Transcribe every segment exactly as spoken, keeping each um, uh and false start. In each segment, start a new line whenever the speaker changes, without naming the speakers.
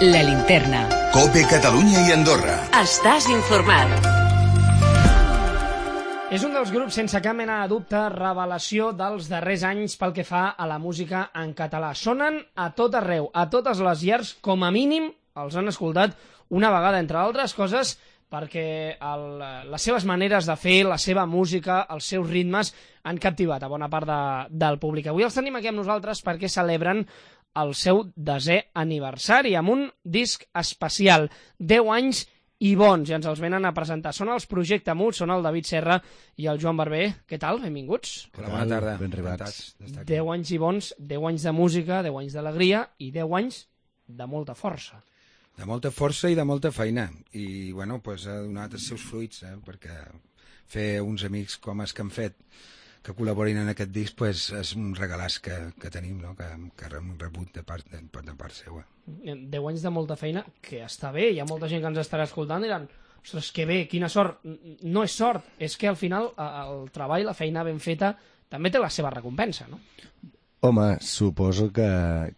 La Linterna.
COPE Catalunya i Andorra.
Estàs informat.
És un dels grups, sense cap mena de dubte, revelació dels darrers anys pel que fa a la música en català. Sonen a tot arreu, a totes les llars, com a mínim els han escoltat una vegada, entre altres coses, perquè el, les seves maneres de fer, la seva música, els seus ritmes, han captivat a bona part de, del públic. Avui els tenim aquí amb nosaltres perquè celebren el seu desè aniversari amb un disc especial, deu anys i bons, i ens els venen a presentar. Són els Projecte Mut, són el David Serra i el Joan Barber. Què tal? Benvinguts.
Hola, bona tarda.
Ben arribats.
deu anys i bons, deu anys de música, deu anys d'alegria i deu anys de molta força.
De molta força i de molta feina. I, bueno, pues, ha donat els seus fruits, eh? Perquè fer uns amics com els que han fet, que col·laborin en aquest disc, pues, és un regalàs que, que tenim, no? que, que hem rebut de part, de, de part seva.
Deu anys de molta feina, que està bé. Hi ha molta gent que ens estarà escoltant i diran, ostres, que bé, quina sort. No és sort, és que al final el treball, la feina ben feta, també té la seva recompensa, no?
Home, suposo que,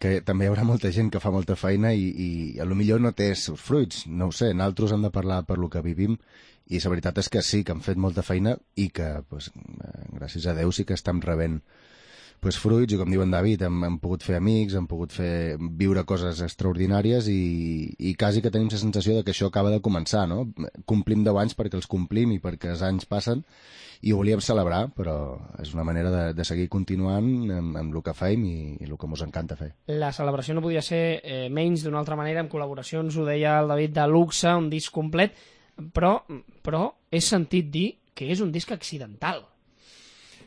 que també hi haurà molta gent que fa molta feina i, i a lo millor no té els seus fruits. No ho sé, nosaltres hem de parlar per lo que vivim i la veritat és que sí, que han fet molta feina i que, pues, gràcies a Déu, sí que estem rebent pues, fruits, i com diu en David, hem, hem pogut fer amics, hem pogut fer viure coses extraordinàries i, i quasi que tenim la sensació de que això acaba de començar, no? Complim deu anys perquè els complim i perquè els anys passen i ho volíem celebrar, però és una manera de, de seguir continuant amb, amb el que fem i, i el que ens encanta fer.
La celebració no podia ser eh, menys d'una altra manera, amb col·laboracions, ho deia el David, de luxe, un disc complet, però, però he sentit dir que és un disc accidental.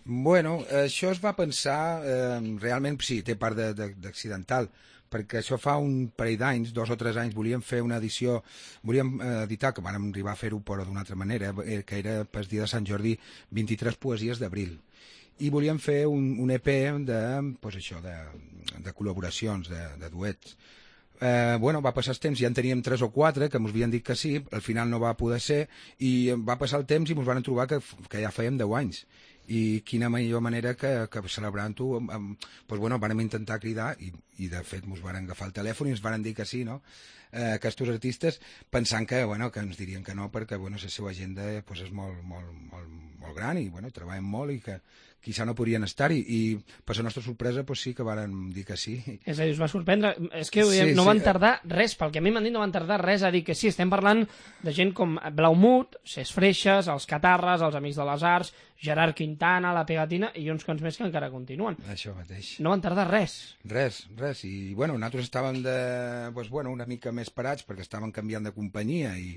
Bueno, això es va pensar, eh, realment sí, té part d'accidental, perquè això fa un parell d'anys, dos o tres anys, volíem fer una edició, volíem eh, editar, que vam arribar a fer-ho però d'una altra manera, eh, que era per dia de Sant Jordi, vint-i-tres poesies d'abril. I volíem fer un, un E P de, pues això, de, de col·laboracions, de, de duets. Eh, bueno, va passar el temps, ja en teníem tres o quatre que ens havien dit que sí, al final no va poder ser i va passar el temps i ens van trobar que, que ja fèiem deu anys i quina millor manera que, que celebrant-ho pues bueno, vam intentar cridar i, i de fet ens van agafar el telèfon i ens van dir que sí, no? Eh, aquests artistes pensant que, bueno, que ens dirien que no perquè bueno, la seva agenda pues, és molt, molt, molt, molt gran i bueno, treballen molt i que quizà no podrien estar-hi i per la nostra sorpresa pues, sí que varen dir que sí.
És a dir, us va sorprendre, és que sí, no
sí,
van tardar res, pel que a mi m'han dit no van tardar res a dir que sí, estem parlant de gent com Blaumut, Ses Freixes, els Catarres, els Amics de les Arts, Gerard Quintana, La Pegatina i uns quants més que encara continuen.
Això mateix.
No van tardar res.
Res, res, i bueno, nosaltres estàvem de, pues, bueno, una mica més parats perquè estàvem canviant de companyia i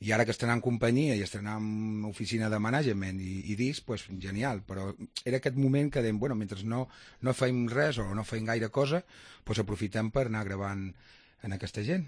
I ara que estrenam companyia i estrenam oficina de management i, i disc, pues, genial, però era aquest moment que dèiem, bueno, mentre no, no feim res o no feim gaire cosa, pues aprofitem per anar gravant en aquesta gent.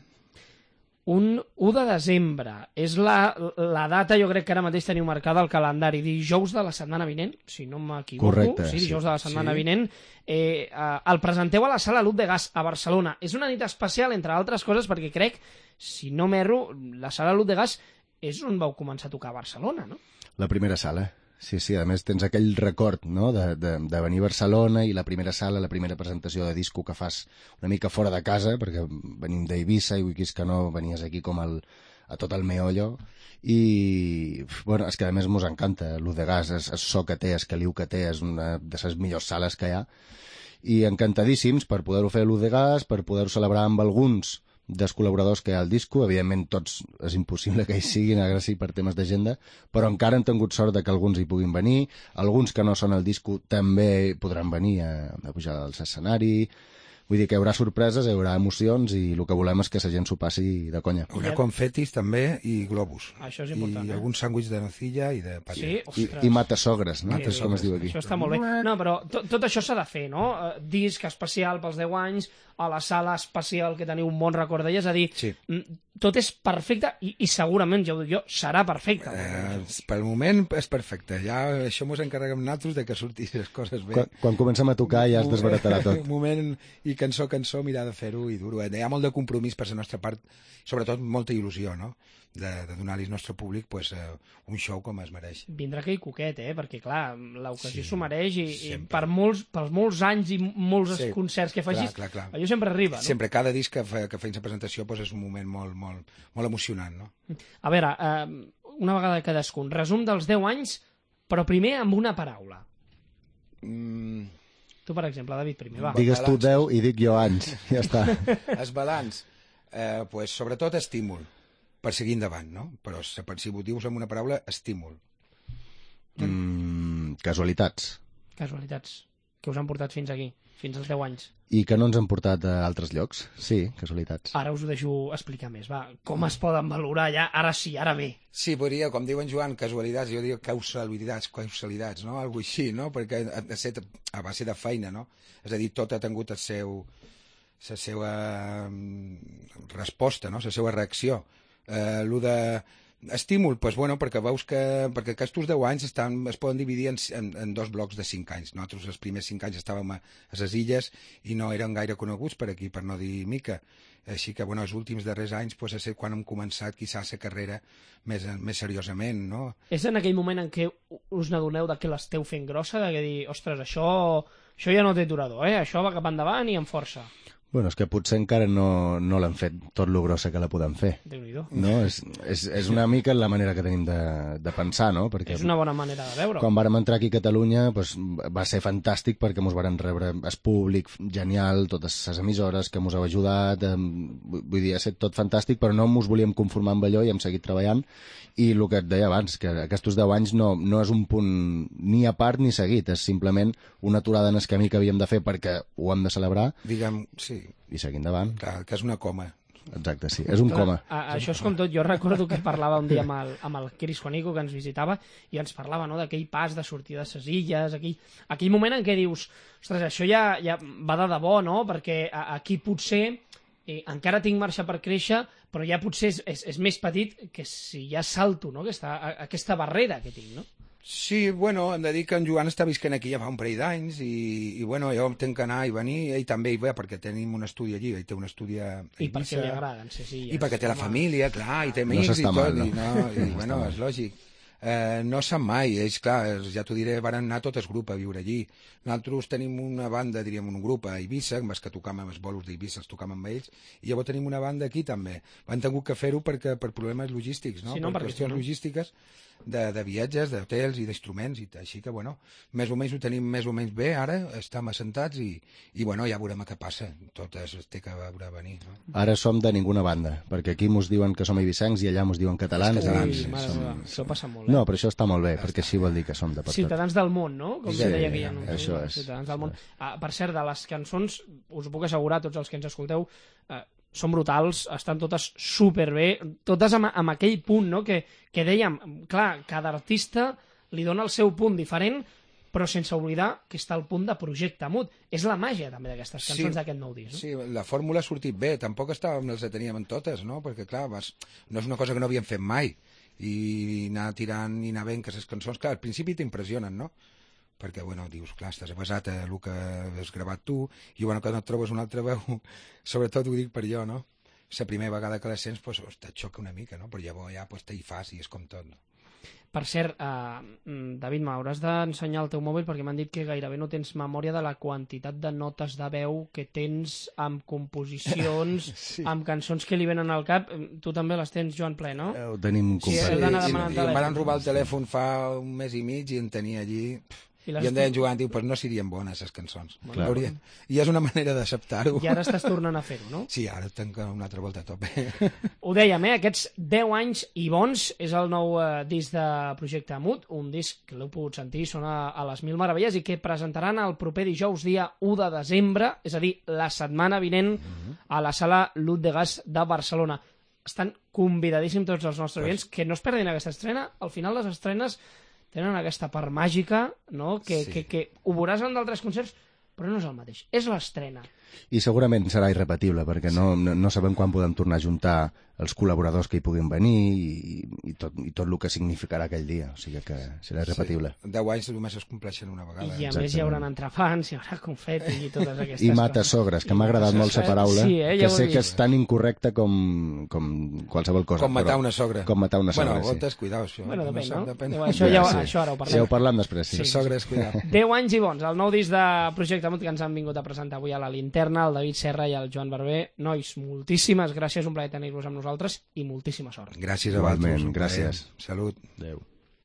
Un u de desembre és la, la data, jo crec que ara mateix teniu marcada al calendari, dijous de la setmana vinent, si no m'equivoco.
Correcte.
Sí, dijous
sí.
de la setmana
sí.
vinent. Eh, eh, el presenteu a la Sala Lut de Gas a Barcelona. És una nit especial, entre altres coses, perquè crec, si no m'erro, la Sala Lut de Gas és on vau començar a tocar a Barcelona, no?
La primera sala. Sí, sí, a més tens aquell record, no?, de, de, de venir a Barcelona i la primera sala, la primera presentació de disco que fas una mica fora de casa, perquè venim d'Eivissa i vull que no venies aquí com el, a tot el meollo, i bueno, és que a més mos encanta l'U de Gas, és, és so que té, és caliu que té, és una de les millors sales que hi ha, i encantadíssims per poder-ho fer l'U de Gas, per poder-ho celebrar amb alguns dels col·laboradors que hi ha al disco. Evidentment tots és impossible que hi siguin a Gràcia per temes d'agenda, però encara hem tingut sort de que alguns hi puguin venir, alguns que no són al disco també podran venir a, a pujar al escenari. Vull dir que hi haurà sorpreses, hi haurà emocions i el que volem és que la gent s'ho passi de conya.
Hi haurà confetis també i globus.
Això és important,
I
eh?
algun sàndwich de nocilla i de pati.
Sí?
I, i matasogres, no?
Sí,
Com es diu aquí.
Això està molt bé. No, però tot, tot això s'ha de fer, no? Uh, disc especial pels deu anys, a la sala especial que teniu un bon record d'ella, és a dir,
Sí.
tot és perfecte i, i segurament, ja ho dic jo, serà perfecte.
Eh, pel moment és perfecte. Ja això mos encarreguem nosaltres de que surtin les coses bé.
Quan, quan comencem a tocar ja es desbaratarà tot.
Un moment i cançó, cançó, mirar de fer-ho i dur-ho. Hi ha molt de compromís per la nostra part, sobretot molta il·lusió, no?, de, de donar-li al nostre públic pues, eh, un show com es mereix.
Vindrà aquell coquet, eh? Perquè, clar, l'ocasió
Sí,
s'ho mereix i, i
sempre.
per molts, pels molts anys i molts
Sí,
concerts que facis,
clar, clar, clar.
allò sempre arriba, no?
Sempre, cada disc que, fa, que feim la presentació pues, és un moment molt, molt, molt emocionant, no?
A veure, eh, una vegada cadascun, resum dels deu anys, però primer amb una paraula.
Mm,
Tu, per exemple, David, primer, va.
Digues tu deu i dic jo anys. Ja està.
el balanç, eh, pues, sobretot estímul, per seguir endavant, no? Però si ho dius amb una paraula, estímul.
Mm, casualitats.
Casualitats que us han portat fins aquí, fins als deu anys.
I que no ens han portat a altres llocs. Sí, casualitats.
Ara us ho deixo explicar més, va. Com es poden valorar ja? Ara sí, ara bé.
Sí, podria, com diu en Joan, casualitats, jo dic causalidats, causalidats, no? Algo així, no? Perquè ha, ha set a base de feina, no? És a dir, tot ha tingut el seu, la seva mm, resposta, no? La seva reacció. Eh, lo de estímul, pues bueno, perquè veus que perquè aquests deu anys estan, es poden dividir en, en, en dos blocs de cinc anys. Nosaltres els primers cinc anys estàvem a, a les illes i no eren gaire coneguts per aquí, per no dir mica. Així que, bueno, els últims darrers anys pues, és quan hem començat, quizás, la carrera més, més seriosament, no?
És en aquell moment en què us n'adoneu de que l'esteu fent grossa, de que dir, ostres, això, això ja no té durador, eh? Això va cap endavant i amb força.
Bueno, és que potser encara no, no l'han fet tot lo grossa que la podem fer.
Déu-n'hi-do.
No? És, és, és una mica la manera que tenim de, de pensar, no? Perquè
És una bona manera de veure.
quan vàrem entrar aquí a Catalunya pues, va ser fantàstic perquè mos varen rebre el públic genial, totes les emissores que mos heu ajudat, eh, vull dir, ha estat tot fantàstic, però no mos volíem conformar amb allò i hem seguit treballant. I el que et deia abans, que aquests deu anys no, no és un punt ni a part ni seguit, és simplement una aturada en el camí que havíem de fer perquè ho hem de celebrar.
Diguem, sí,
I seguir endavant.
clar, que és una coma.
Exacte, sí. És un coma.
A, això és com tot. Jo recordo que parlava un dia amb el, amb el Cris Juanico, que ens visitava, i ens parlava, no?, d'aquell pas de sortir de ses illes, aquell, aquell moment en què dius, ostres, això ja, ja va de debò, no?, perquè a, aquí potser eh, encara tinc marxa per créixer, però ja potser és, és, és més petit que si ja salto, no?, aquesta, a, aquesta barrera que tinc, no?
Sí, bueno, hem de dir que en Joan està visquent aquí ja fa un parell d'anys i, i bueno, jo tenc que anar i venir, ell també hi va perquè tenim un estudi allí, ell té un estudi a
I perquè li agraden, sí, sí.
I perquè té la família, clar, i té
No
amics
s'està
i tot,
mal, no.
i, no, i
No
bueno,
està mal.
és lògic. Eh, no sap mai, ells, clar, ja t'ho diré, van anar tot el grup a viure allí. Nosaltres tenim una banda, diríem, un grup a Eivissa, amb els que tocam amb els bolos d'Eivissa, els tocam amb ells, i llavors tenim una banda aquí també. Han tingut que fer-ho perquè per problemes logístics, no?
Sí, no,
per
perquè
qüestions
si no-
logístiques de, de viatges, d'hotels i d'instruments, i així que, bueno, més o menys ho tenim més o menys bé ara, estem assentats i, i bueno, ja veurem què passa. Tot es té que veure venir, no?
Ara som de ninguna banda, perquè aquí mos diuen que som eivissencs i allà mos diuen catalans.
Els catalans,
Ui,
sí,
mare
som...
meva, això passa molt, eh?
No, però això està molt bé, perquè així vol dir que som de per tot.
Ciutadans del món, no? Com
Sí,
sí, deia aquell anunci.
això és.
Ciutadans del món. Ah, per cert, de les cançons, us ho puc assegurar, tots els que ens escolteu, eh, són brutals, estan totes superbé, totes amb, amb aquell punt, no?, que, que dèiem, clar, cada artista li dona el seu punt diferent, però sense oblidar que està al punt de projecte mut. És la màgia, també, d'aquestes cançons
Sí,
d'aquest nou disc. No?
Sí, la fórmula ha sortit bé, tampoc estàvem, les teníem en totes, no? Perquè, clar, vas, no és una cosa que no havíem fet mai, i anar tirant i anar veient que les cançons, clar, al principi t'impressionen, no? Perquè, bueno, dius, clar, estàs basat a el que has gravat tu, i, bueno, quan et trobes una altra veu, sobretot ho dic per jo, no? La primera vegada que la sents, pues, te xoca una mica, no? Però llavors ja pues, te hi fas i és com tot, no?
Per cert, eh, David, m'hauràs d'ensenyar el teu mòbil perquè m'han dit que gairebé no tens memòria de la quantitat de notes de veu que tens amb composicions, sí. amb cançons que li venen al cap. Tu també les tens, Joan, ple, no?
Ho tenim
Sí,
complet.
heu d'anar
I,
demanant
i em
telèfon.
van robar el telèfon fa un mes i mig i en tenia allí...
I
I,
les
em deien Joan, diu, pues no serien bones, les cançons.
Clar.
Haurien... I és una manera d'acceptar-ho.
I ara estàs tornant a fer-ho, no?
Sí, ara tenc una altra volta a tope.
Ho dèiem, eh? Aquests deu anys i bons és el nou eh, disc de Projecte Mut, un disc que l'heu pogut sentir, sona a les Mil Meravelles i que presentaran el proper dijous, dia u de desembre, és a dir, la setmana vinent, a la sala Lut de Gas de Barcelona. Estan convidadíssims tots els nostres oients que no es perdin aquesta estrena. Al final les estrenes tenen aquesta part màgica, no? Que,
Sí.
que, que ho veuràs en d'altres concerts, però no és el mateix. És l'estrena.
I segurament serà irrepetible, perquè no, no, no sabem quan podem tornar a juntar els col·laboradors que hi puguin venir i, i, tot, i tot el que significarà aquell dia. O sigui que serà irrepetible.
Sí. Deu anys només es compleixen una vegada.
I a
Exactament.
més hi haurà entrepans, hi haurà confeti i totes aquestes
I
coses.
mata-sogres, que m'ha agradat molt la paraula,
sí, eh, ja
que
ho he
sé que
vist.
és tan incorrecta com, com qualsevol cosa.
Com matar
però-
una sogra.
Com matar una sogra,
Bueno,
sí.
gotes, cuidao, això.
Bueno, depèn, no?
depèn.
Bueno, això, ja,
Sí.
això ara ho
Sí, ho
parlem.
parlem després, sí.
Les sogres, cuidao.
deu anys i bons, el nou disc de Projecte Mut que ens han vingut a presentar avui a la Linterna, el David Serra i el Joan Barber. Nois, moltíssimes gràcies, un plaer tenir-vos amb nosaltres i moltíssima sort.
Gràcies a
Igualment,
vosaltres. un plaer.
gràcies.
Salut.
Adéu.